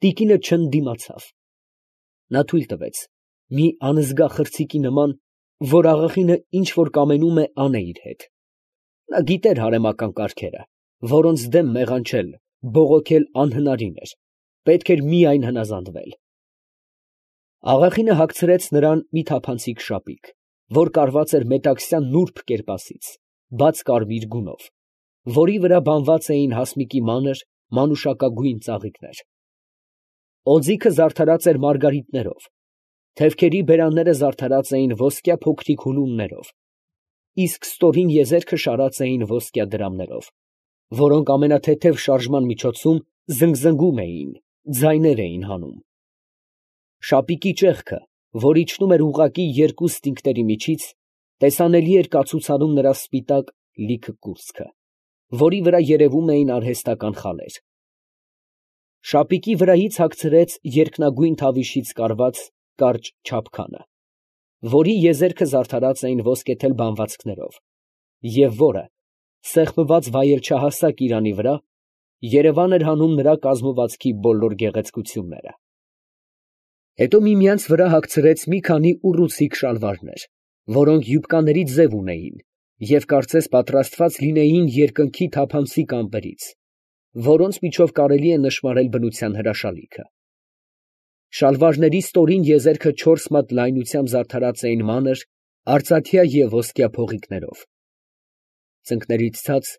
Տիկինը չընդդիմացավ։ Նա թույլ տվեց մի անզգա խրձիկի նման, որ աղախինը ինչ որ կամենում է անե իր հետ։ Նա գիտեր հարեմական կարգերը, որոնց դեմ մեղանչել, բողոքել անհնարին էր, պետք էր միայն հնազանդվել։ Աղախինը հագցրեց նրան մի թափանցիկ շապիկ, որ կարված էր մետաքսյան նուրբ կերպասից, բաց կարմիր գունով, որի վրա բանված էին հասմիկի մանր, մանուշակագույն ծաղիկներ։ Օձիքը զարդարած էր մարգարիտներով, թևքերի բերանները զարդարած էին ոսկյա փոքրիկ հունուններով, իսկ ստորին եզերքը շարած էին ոսկյա դրամներով, որոնք ամենաթեթև շարժման միջոցում զնգզնգում էին, ձայներ էին հանում։ Շապիկի ճեղքը, որ իջնում էր ուղղակի երկու ստինգների միջից, տեսանելի էր կացուցանում նրա սպիտակ լիքը կուրծքը, որի վրա երևում էին արհեստական խալեր։ Շապիկի վրայից հագցրեց երկնագույն թավիշից կարված կարճ չափքանը, որի եզերքը զարդարած էին ոսկեթել բանվածքներով, և որը, սեղմված վայելչահասակ իրանի վրա, երևան էր հանում նրա կազմվածքի բոլոր գեղեցկությունները։ Հետո միմյանց վրա հագցրեց մի քանի ուռուցիկ շալվարներ, որոնք յուբկաների ձև ունեին և կարծես պատրաստված լինեին երկնքի թափանցիկ ամպերից, որոնց միջով կարելի է նշմարել բնության հրաշալիքը։ Շալվարների ստորին եզերքը 4 մատ լայնությամբ զարդարած էին մանր, արծաթյա և ոսկյա փողիկներով։ Ծնկներից ցած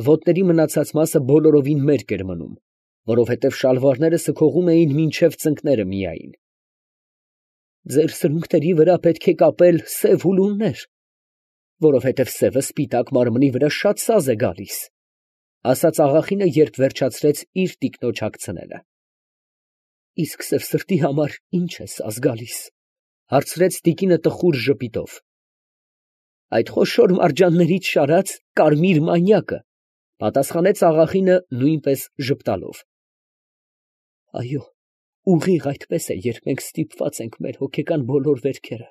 ոտների մնացած մասը բոլորովին մերկ էր մնում, որովհետև շալվարները սքողում էին մինչև ծնկները միայն։ Ձեր սրունքների վրա պետք է կապել սև հուլուններ, որովհետև սևը սպիտակ մարմնի վրա շատ սազ է գալիս, ֊ ասաց աղախինը, երբ վերջացրեց իր տիկնոջ հագցնելը։ ֊ Իսկ սևսրտի համար ի՞նչ է սազ գալիս, ֊ հարցրեց տիկինը տխուր ժպիտով։ ֊ Այդ խոշոր մարջաններից շարած կարմիր մանյակը, ֊ պատասխանեց աղախինը նույնպես ժպտալով։ ֊ Այո, ուղիղ այդպես է, երբ մենք ստիպված ենք մեր հոգեկան բոլոր վերքերը,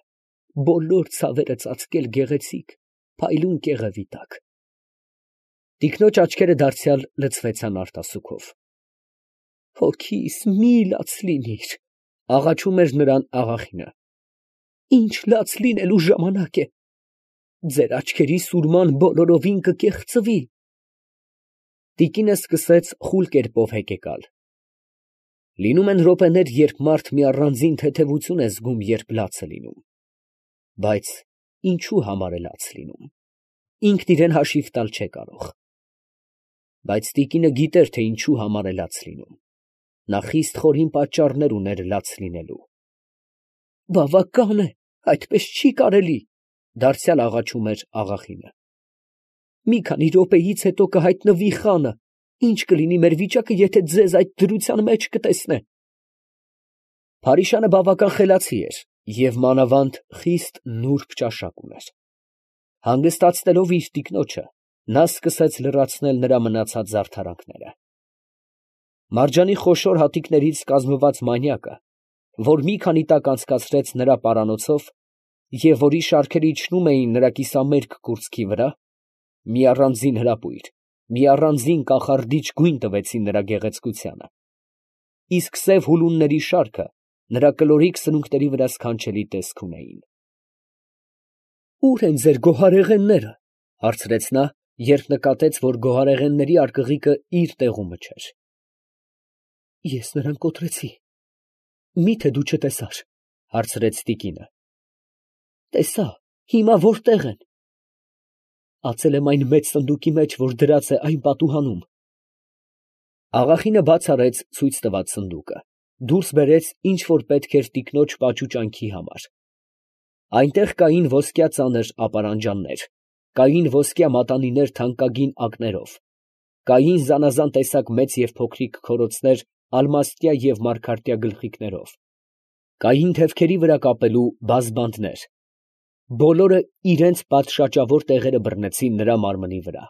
բոլոր ցավերը ծածկել գեղեցիկ, փայլուն կեղևի տակ։ Տիկնոջ աչքերը դարձյալ լցվեցան արտասուքով։ Հոգիս մի լաց լինիր, ֊ աղաչում էր նրան աղախինը։ Ինչ լաց լինելու ժամանակ է, ձեր աչքերի սուրման բոլորովին կկեղծվի։ Տիկինը սկսեց խուլ կերպով հեկեկալ։ Լինում են րոպեներ, երբ մարդ մի առանձին թեթևություն է զգում, երբ լաց է լինում, բայց ինչու համար է լաց լինում, ինքն իրեն հաշիվ տալ չէ կարող։ Բայց տիկինը գիտեր, թե ինչու համար է լաց լինում, նա խիստ խորին պատճառներ ուներ լաց լինելու։ Բավական է, այդպես չի կարելի, ֊ դարձյալ աղաչում էր աղախինը։ Մի քանի րոպեից հետո կհայտնվի խանը, ինչ կլինի մեր վիճակը, եթե ձեզ այդ դրության մեջ կտեսնե։ Փարիշանը բավական խելացի էր և մանավանդ խիստ նուրբ ճաշակ ուներ։ Հանգստացնելով իր տիկնոջը, նա սկսեց լրացնել նրա մնացած զարդարանքները։ Մարջանի խոշոր հատիկներից կազմված մանյակը, որ մի քանի տակ անցկացրեց նրա պարանոցով և որի շարքերը իջնում էին նրա կիսամերկ կուրծքի վրա, մի առանձին հրապույր, մի առանձին կախարդիչ գույն տվեցին նրա գեղեցկությանը, իսկ սև հուլունների շարքը նրա կլորիկ սրունքների վրա սքանչելի տեսք ունեին։ Ո՞ւր են ձեր գոհարեղենները, ֊ հարցրեց նա, երբ նկատեց, որ գոհարեղենների արկղիկը իր տեղումը չէր։ Ես նրան կոտրեցի։ Մի՞թե դու չտեսար, ֊ հարցրեց տիկինը։ Տեսա, հիմա որտե՞ղ են։ Ածել եմ այն մեծ սնդուկի մեջ, որ դրած է այն պատուհանում։ Աղախինը բաց արեց ցույց տված սնդուկը, դուրս բերեց, ինչ որ պետք էր տիկնոջ պաճուճանքի համար։ Այնտեղ կային ոսկյա ծանր ապարանջաններ, կային ոսկյա մատանիներ թանկագին ակներով, կային զանազան տեսակ մեծ և փոքրիկ քորոցներ ալմաստյա և մարգարտյա գլխիկներով, կային թևքերի վրա կապելու բազբանդներ, բոլորը իրենց պատշաճավոր տեղերը բռնեցին նրա մարմնի վրա։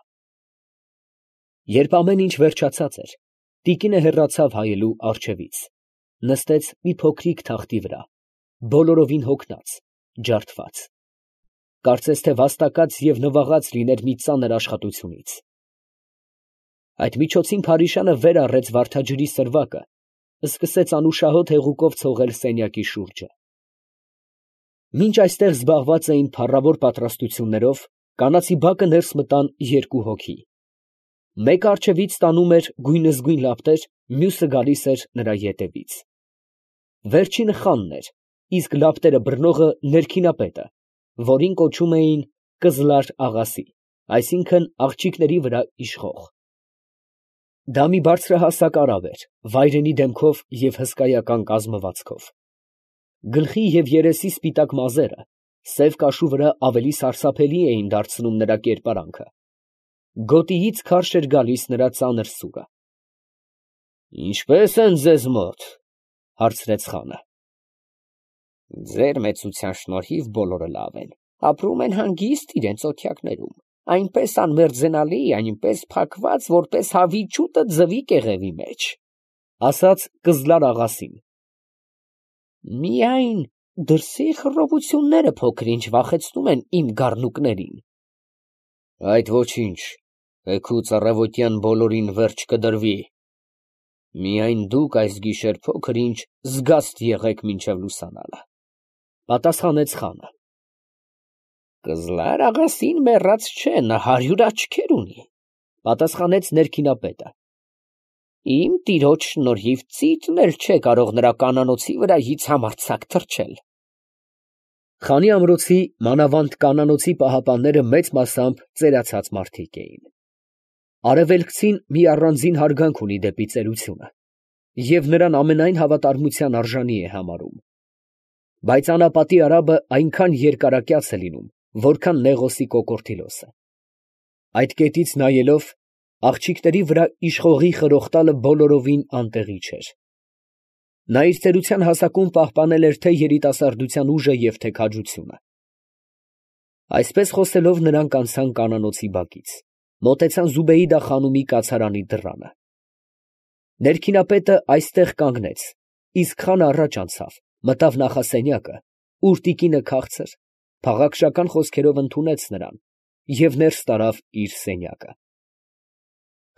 Երբ ամեն ինչ վերջացած էր, տիկինը հեռացավ հայելու առջևից, նստեց մի փոքրիկ թախտի վրա, բոլորովին հոգնած, ջարդված, կարծես թե վաստակած և նվաղած լիներ մի ծանր աշխատությունից։ Այդ միջոցին Փարիշանը վեր առեց վարդաջրի սրվակը սկսեց անուշահոտ հեղուկով ցողել սենյակի շուրջը։ Մինչ այստեղ զբաղված էին փառավոր պատրաստություններով, կանացի բակը ներս մտան երկու հոգի։ Մեկը առջևից տանում էր գույնզգույն լապտեր, մյուսը գալիս էր նրա ետևից։ Վերջինը խանն էր, իսկ լապտերը բռնողը ներքինապետը, որին կոչում էին Կզլար աղասի, այսինքն աղջիկների վրա իշխող։ Դա մի բարձրահասակ արավ էր, վայրենի դեմքով և հսկայական կազմվածքով։ Գլխի և երեսի սպիտակ մազերը սև կաշու վրա ավելի սարսափելի էին դարձնում նրա կերպարանքը։ Գոտիից քարշ էր գալիս նրա ծանր սուրը։ «Ինչպե՞ս են ձեզ մոտ», հարցրեց խանը։ «Ձեր մեծության շնորհիվ բոլորը լավ են, ապրում են հանգիստ իրենց օթյակներում, այնպես անմերձենալի, այնպես փակված, որպես հավի չուտը ձվի կեղևի մեջ», ասաց Կզլար աղասին։ «Միայն դրսի խռովությունները փոքր-ինչ վախեցնում են իմ գառնուկներին»։ «Այդ ոչինչ, էգուց առավոտյան բոլորին վերջ կդրվի։ Միայն դուք այս գիշեր փոքր-ինչ զգաստ եղեք մինչև լուսանալը», պատասխանեց խանը։ «Կզլար աղասին մեռած չէ, նա 100 աչքեր ունի», պատասխանեց ներքինապետը։ «Իմ տիրոջ շնորհիվ ծիծն էլ չէ կարող նրա կանանոցի վրայից համարձակ թռչել»։ Խանի ամրոցի, մանավանդ կանանոցի պահապանները մեծ մասամբ ծերացած մարդիկ էին։ Արևելքցին մի առանձին հարգանք ունի դեպի ծերությունը և նրան ամենայն հավատարմության արժանի է համարում։ Բայց անապատի արաբը այնքան երկարակյաց է լինում, որքան Նեղոսի կոկորդիլոսը։ Այդ կետից նայելով, աղջիկների վրա իշխողի խրոխտալը բոլորովին անտեղի չէր։ Նա իր ծերության հասակում պահպանել էր թե երիտասարդության ուժը և թե քաջությունը։ Այսպես խոսելով նրանք անցան կանանոցի բակից, մոտեցան Զուբեիդա խանումի կացարանի դռանը։ Ներքինապետը այստեղ կանգնեց, իսկ խանը առաջ անցավ, մտավ նախասենյակը, ուր տիկինը քաղցր, փաղաքշական խոսքերով ընդունեց նրան և ներս տարավ իր սենյակը։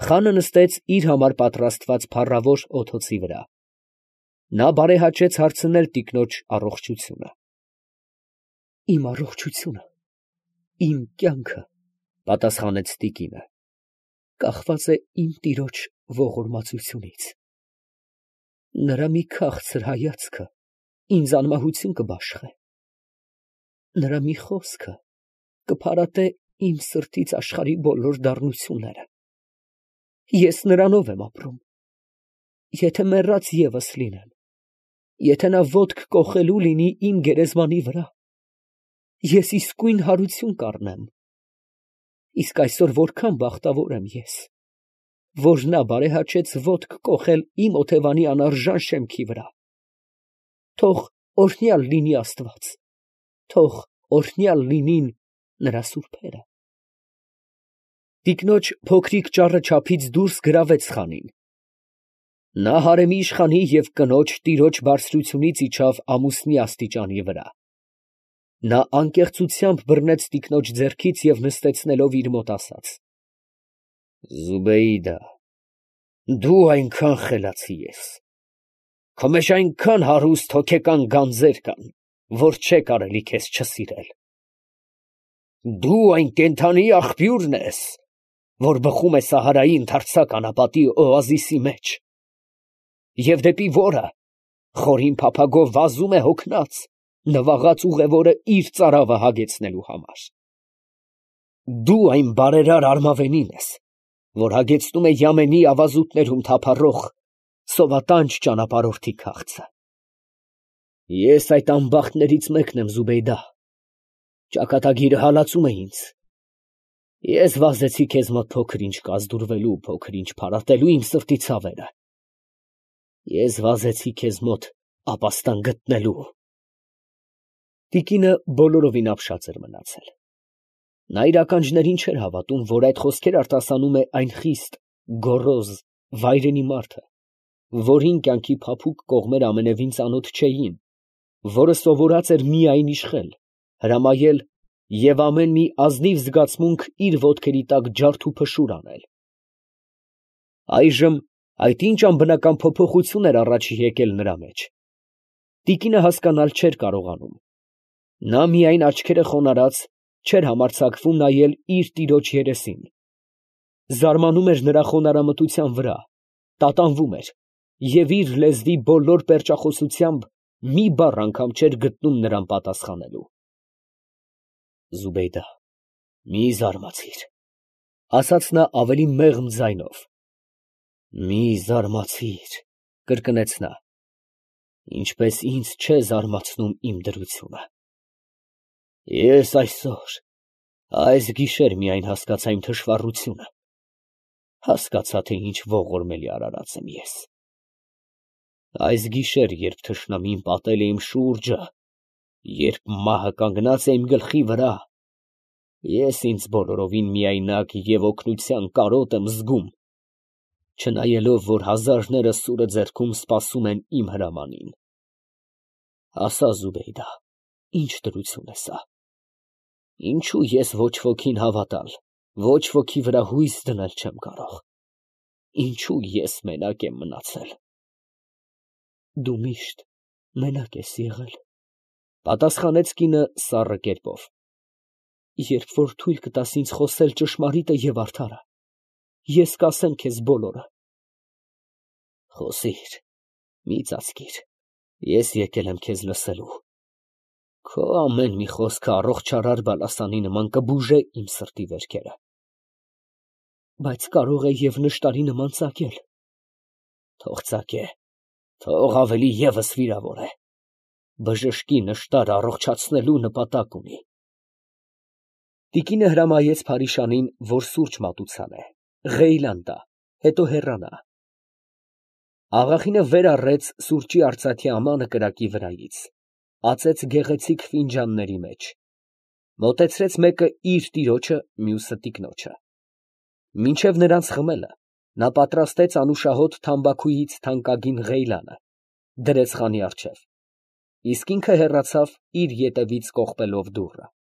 Խանը նստեց իր համար պատրաստված փառավոր օթոցի վրա։ Նա բարեհաճեց հարցնել տիկնոջ առողջությունը։ «Իմ առողջությունը, իմ կյանքը», պատասխանեց տիկինը, «կախված է իմ տիրոջ ողորմածությունից։ Նրա մի քաղցր հայացքը ինձ անմահություն կբաշխե։ Նրա մի խոսքը կփարատե իմ սրտից աշխարհի բոլոր դառնությունները։ Ես նրանով եմ ապրում։ Եթե մեռած ևս լինեմ, եթե նա ոտք կոխելու լինի իմ գերեզմանի վրա, ես իսկույն հարություն կառնեմ։ Իսկ այսօր որքան բախտավոր եմ ես, որ նա բարեհաճեց ոտք կոխել իմ օթևանի անարժան շեմքի վրա։ Թող օրհնյալ լինի Աստված, թող օրհնյալ լինին նրա սուրբերը»։ Տիկնոջ փոքրիկ ճառը չափից դուրս գրավեց խանին։ Նա հարեմի իշխանի և կնոջ տիրոջ բարձրությունից իջավ ամուսնի աստիճանի վրա։ Նա անկեղծությամբ բռնեց տիկնոջ ձեռքից և նստեցնելով իր մոտ ասաց. «Զուբեիդա, դու այնքան խելացի ես, քո մեջ այնքան հարուստ հոգեկան գանձեր կան, որ չէ կարելի քեզ չսիրել։ Դու այն կենդանի աղբյուրն ես, որ բխում է Սահարայի ընդարձակ անապատի օազիսի մեջ, և դեպի որը խորին փափագով վազում է հոգնած, նվաղած ուղևորը իր ծարավը հագեցնելու համար։ Դու այն բարերար արմավենին ես, որ հագեցնում է Յամենի ավազուտներում թափառող սովատանջ ճանապարհորդի քաղցը։ Ես այդ անբախտներից մեկն եմ, Զուբեյդա, ճակատագիրը հալածում է ինձ։ Ես վազեցի քեզ մոտ փոքր-ինչ կազդուրվելու, փոքր-ինչ փարատելու իմ սրտի ցավերը։ Ես վազեցի քեզ մոտ ապաստան գտնելու։ Տիկինը բոլորովին ապշած էր մնացել։ Նա իր ականջներին չէր հավատում, որ այդ խոսքեր արտասանում է այն խիստ, գոռոզ, վայրենի մարդը, որին կյանքի փափուկ կողմերը ամենևին ծանոթ չէին, որը սովորած էր միայն իշխել, հրամայել և ամեն մի ազնիվ զգացմունք իր ոտքերի տակ ջարդ ու փշուր անել։ Այժմ Այդ ինչ անբնական փոփոխություն էր առաջ եկել նրա մեջ։ Տիկինը հասկանալ չէր կարողանում։ Նա միայն աչքերը խոնարհած չէր համարձակվում նայել իր տիրոջ երեսին։ Զարմանում էր նրա խոնարհամտության վրա, տատանվում էր և իր լեզվի բոլոր պերճախոսությամբ մի բառ անգամ չէր գտնում նրան պատասխանելու։ Զուբեյդա, մի զարմացիր, ֊ ասաց նա ավելի մեղմ ձայնով։ Մի զարմացիր, ֊ կրկնեց նա, ինչպես ինձ չէ զարմացնում իմ դրությունը։ Ես այսօր, այս գիշեր միայն հասկացա իմ թշվառությունը, հասկացա, թե ինչ ողորմելի արարած եմ ես։ Այս գիշեր, երբ թշնամին պատել է իմ շուրջը, երբ մահը կանգնած է իմ գլխի վրա, ես ինձ բոլորովին միայնակ և օգնության կարոտ եմ զգում, չնայելով, որ հազարները սուրը ձեռքում սպասում են իմ հրամանին։ Ասա, Զուբեյդա, ինչ դրություն է սա։ Ինչու ես ոչ ոքին հավատալ, ոչ ոքի վրա հույս դնել չեմ կարող։ Ինչու ես մենակ եմ մնացել։ Դու միշտ մենակ ես եղել, ֊ պատասխանեց կինը սառը կերպով։ Երբ որ թույլ կտաս ինձ խոսել ճշմարիտը և արդարը, ես կասեմ քեզ բոլորը։ Խոսիր, մի ծածկիր, ես եկել եմ քեզ լսելու։ Քո ամեն մի խոսքը առողջարար բալասանի նման կբուժե իմ սրտի վերքերը։ Բայց կարող է և նշտարի նման ծակել։ Թող ծակե, թող ավելի ևս վիրավորե։ Բժշկի նշտարը առողջացնելու նպատակ ունի։ Տիկինը հրամայեց փարիշանին, որ սուրճ մատուցանե, ղեյլան տա, հետո հեռանա։ Աղախինը վեր առեց սուրճի արծաթե ամանը կրակի վրայից, ածեց գեղեցիկ ֆինջանների մեջ, մոտեցրեց մեկը իր տիրոջը, մյուսը տիկնոջը։ Մինչև նրանց խմելը նա պատրաստեց անուշահոտ թամբաքուից թանկագին ղեյլանը, դրեց խանի առջև, իսկ ինքը հեռացավ իր ետևից կողպելով դուռը։